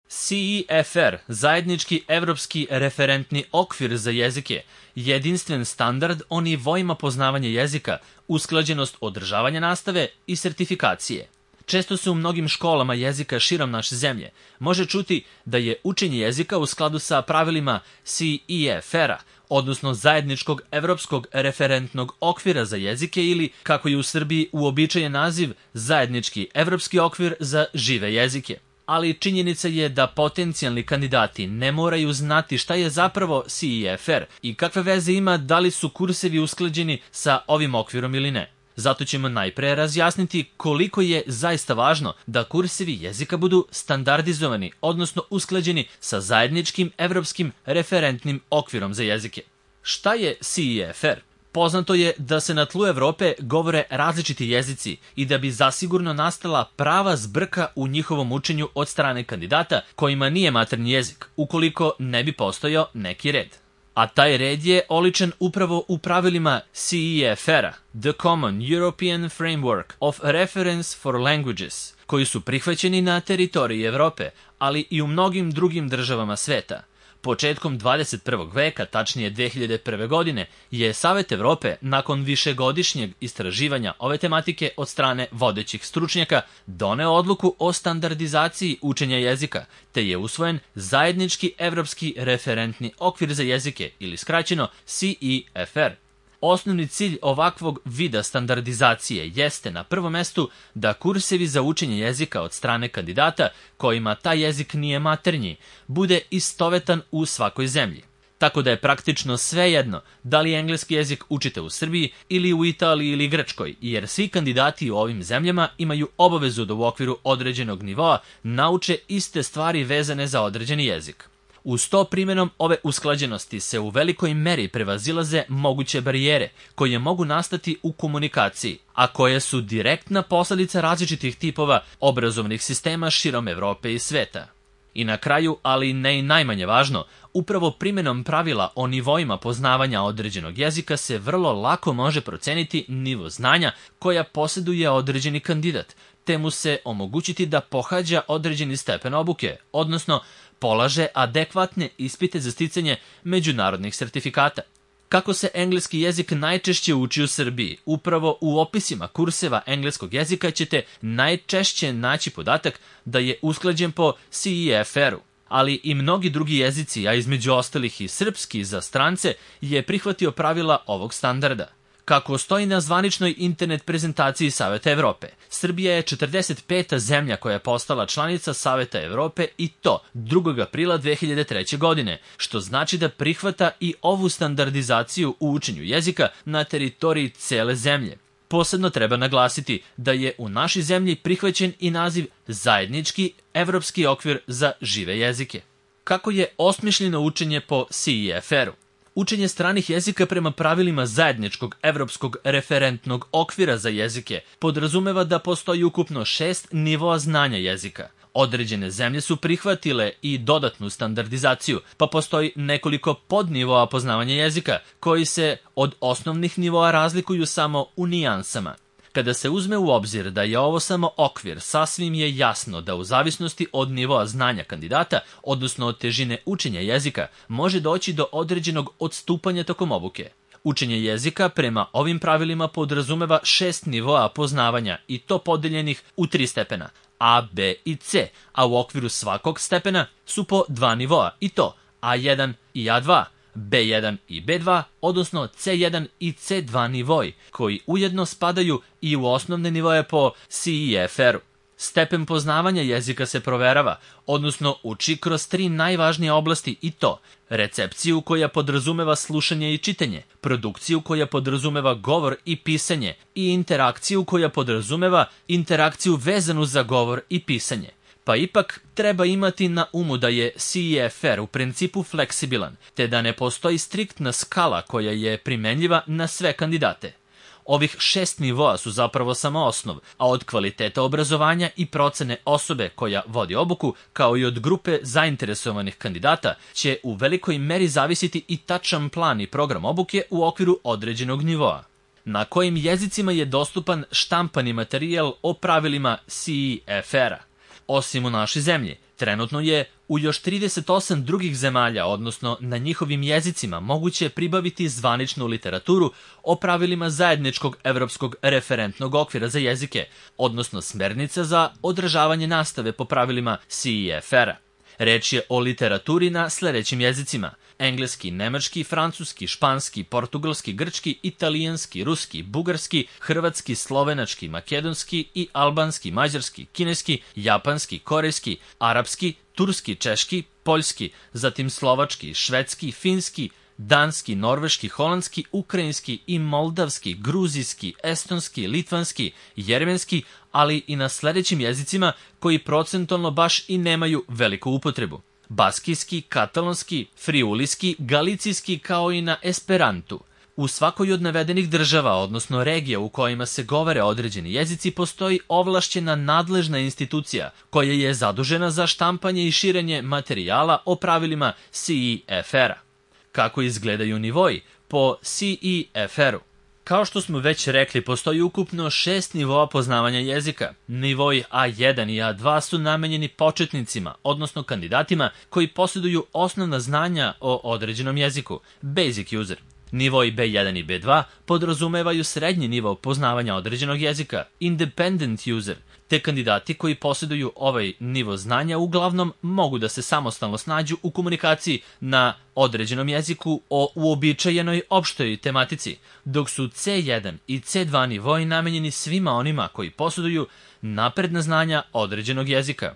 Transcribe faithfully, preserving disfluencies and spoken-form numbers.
C E F R, zajednički evropski referentni okvir za jezike, jedinstven standard o nivoima poznavanja jezika, usklađenost održavanja nastave i sertifikacije. Često se u mnogim školama jezika širom naše zemlje može čuti da je učenje jezika u skladu sa pravilima C E F R-a, odnosno zajedničkog evropskog referentnog okvira za jezike ili, kako je u Srbiji uobičajen naziv, zajednički evropski okvir za žive jezike. Ali činjenica je da potencijalni kandidati ne moraju znati šta je zapravo C E F R i kakve veze ima da li su kursevi usklađeni sa ovim okvirom ili ne. Zato ćemo najpre razjasniti koliko je zaista važno da kursevi jezika budu standardizovani, odnosno usklađeni sa zajedničkim evropskim referentnim okvirom za jezike. Šta je C E F R? Poznato je da se na tlu Evrope govore različiti jezici i da bi zasigurno nastala prava zbrka u njihovom učenju od strane kandidata kojima nije maternji jezik, ukoliko ne bi postojao neki red. A taj red je oličen upravo u pravilima C E F R-a, The Common European Framework of Reference for Languages, koji su prihvaćeni na teritoriji Evrope, ali i u mnogim drugim državama sveta. Početkom dvadeset prvog veka, tačnije dve hiljade prve. godine, je Savet Evrope, nakon višegodišnjeg istraživanja ove tematike od strane vodećih stručnjaka, doneo odluku o standardizaciji učenja jezika, te je usvojen zajednički evropski referentni okvir za jezike, ili skraćeno C E F R. Osnovni cilj ovakvog vida standardizacije jeste na prvom mestu da kursevi za učenje jezika od strane kandidata, kojima taj jezik nije maternji, bude istovetan u svakoj zemlji. Tako da je praktično svejedno da li engleski jezik učite u Srbiji ili u Italiji ili Grčkoj, jer svi kandidati u ovim zemljama imaju obavezu da u okviru određenog nivoa nauče iste stvari vezane za određeni jezik. Uz to primjenom ove usklađenosti se u velikoj meri prevazilaze moguće barijere koje mogu nastati u komunikaciji, a koje su direktna posledica različitih tipova obrazovnih sistema širom Evrope i sveta. I na kraju, ali ne i najmanje važno, upravo primjenom pravila o nivoima poznavanja određenog jezika se vrlo lako može proceniti nivo znanja koja posjeduje određeni kandidat, te mu se omogućiti da pohađa određeni stepen obuke, odnosno polaže adekvatne ispite za sticanje međunarodnih sertifikata. Kako se engleski jezik najčešće uči u Srbiji? Upravo u opisima kurseva engleskog jezika ćete najčešće naći podatak da je usklađen po C E F R-u. Ali i mnogi drugi jezici, a između ostalih i srpski za strance, je prihvatio pravila ovog standarda. Kako stoji na zvaničnoj internet prezentaciji Saveta Evrope, Srbija je četrdeset peta zemlja koja je postala članica Saveta Evrope i to drugog aprila dve hiljade treće. godine, što znači da prihvata i ovu standardizaciju u učenju jezika na teritoriji cele zemlje. Posebno treba naglasiti da je u našoj zemlji prihvaćen i naziv Zajednički evropski okvir za žive jezike. Kako je osmišljeno učenje po C E F R-u? Učenje stranih jezika prema pravilima zajedničkog evropskog referentnog okvira za jezike podrazumeva da postoji ukupno šest nivoa znanja jezika. Određene zemlje su prihvatile i dodatnu standardizaciju, pa postoji nekoliko podnivoa poznavanja jezika, koji se od osnovnih nivoa razlikuju samo u nijansama. Kada se uzme u obzir da je ovo samo okvir, sasvim je jasno da u zavisnosti od nivoa znanja kandidata, odnosno od težine učenja jezika, može doći do određenog odstupanja tokom obuke. Učenje jezika prema ovim pravilima podrazumeva šest nivoa poznavanja i to podeljenih u tri stepena, A, B i C, a u okviru svakog stepena su po dva nivoa i to A jedan i A dva, B jedan i B dva, odnosno C jedan i C dva nivoi, koji ujedno spadaju i u osnovne nivoje po C E F R-u. Stepen poznavanja jezika se proverava, odnosno uči kroz tri najvažnije oblasti i to recepciju koja podrazumeva slušanje i čitanje, produkciju koja podrazumeva govor i pisanje i interakciju koja podrazumeva interakciju vezanu za govor i pisanje. Pa ipak treba imati na umu da je C E F R u principu fleksibilan, te da ne postoji striktna skala koja je primenljiva na sve kandidate. Ovih šest nivoa su zapravo samo osnov, a od kvaliteta obrazovanja i procene osobe koja vodi obuku, kao i od grupe zainteresovanih kandidata, će u velikoj meri zavisiti i tačan plan i program obuke u okviru određenog nivoa. Na kojim jezicima je dostupan štampani materijal o pravilima C E F R-a? Osim u našoj zemlji, trenutno je u još trideset osam drugih zemalja, odnosno na njihovim jezicima, moguće pribaviti zvaničnu literaturu o pravilima zajedničkog evropskog referentnog okvira za jezike, odnosno smernice za održavanje nastave po pravilima C E F R-a. Reč je o literaturi na sledećim jezicima: engleski, nemački, francuski, španski, portugalski, grčki, italijanski, ruski, bugarski, hrvatski, slovenački, makedonski i albanski, mađarski, kineski, japanski, korejski, arapski, turski, češki, poljski, zatim slovački, švedski, finski, danski, norveški, holandski, ukrajinski i moldavski, gruzijski, estonski, litvanski, jermenski, ali i na sledećim jezicima koji procentualno baš i nemaju veliku upotrebu: baskijski, katalonski, friuliski, galicijski, kao i na esperantu. U svakoj od navedenih država, odnosno regija u kojima se govore određeni jezici, postoji ovlašćena nadležna institucija koja je zadužena za štampanje i širenje materijala o pravilima C E F R-a. Kako izgledaju nivoji po C E F R-u? Kao što smo već rekli, postoji ukupno šest nivoa poznavanja jezika. Nivoji A jedan i A dva su namenjeni početnicima, odnosno kandidatima koji posjeduju osnovna znanja o određenom jeziku, basic user. Nivoji B jedan i B dva podrazumevaju srednji nivo poznavanja određenog jezika, independent user, te kandidati koji posjeduju ovaj nivo znanja uglavnom mogu da se samostalno snađu u komunikaciji na određenom jeziku o uobičajenoj opštoj tematici, dok su C jedan i C dva nivoji namenjeni svima onima koji posjeduju napredna znanja određenog jezika.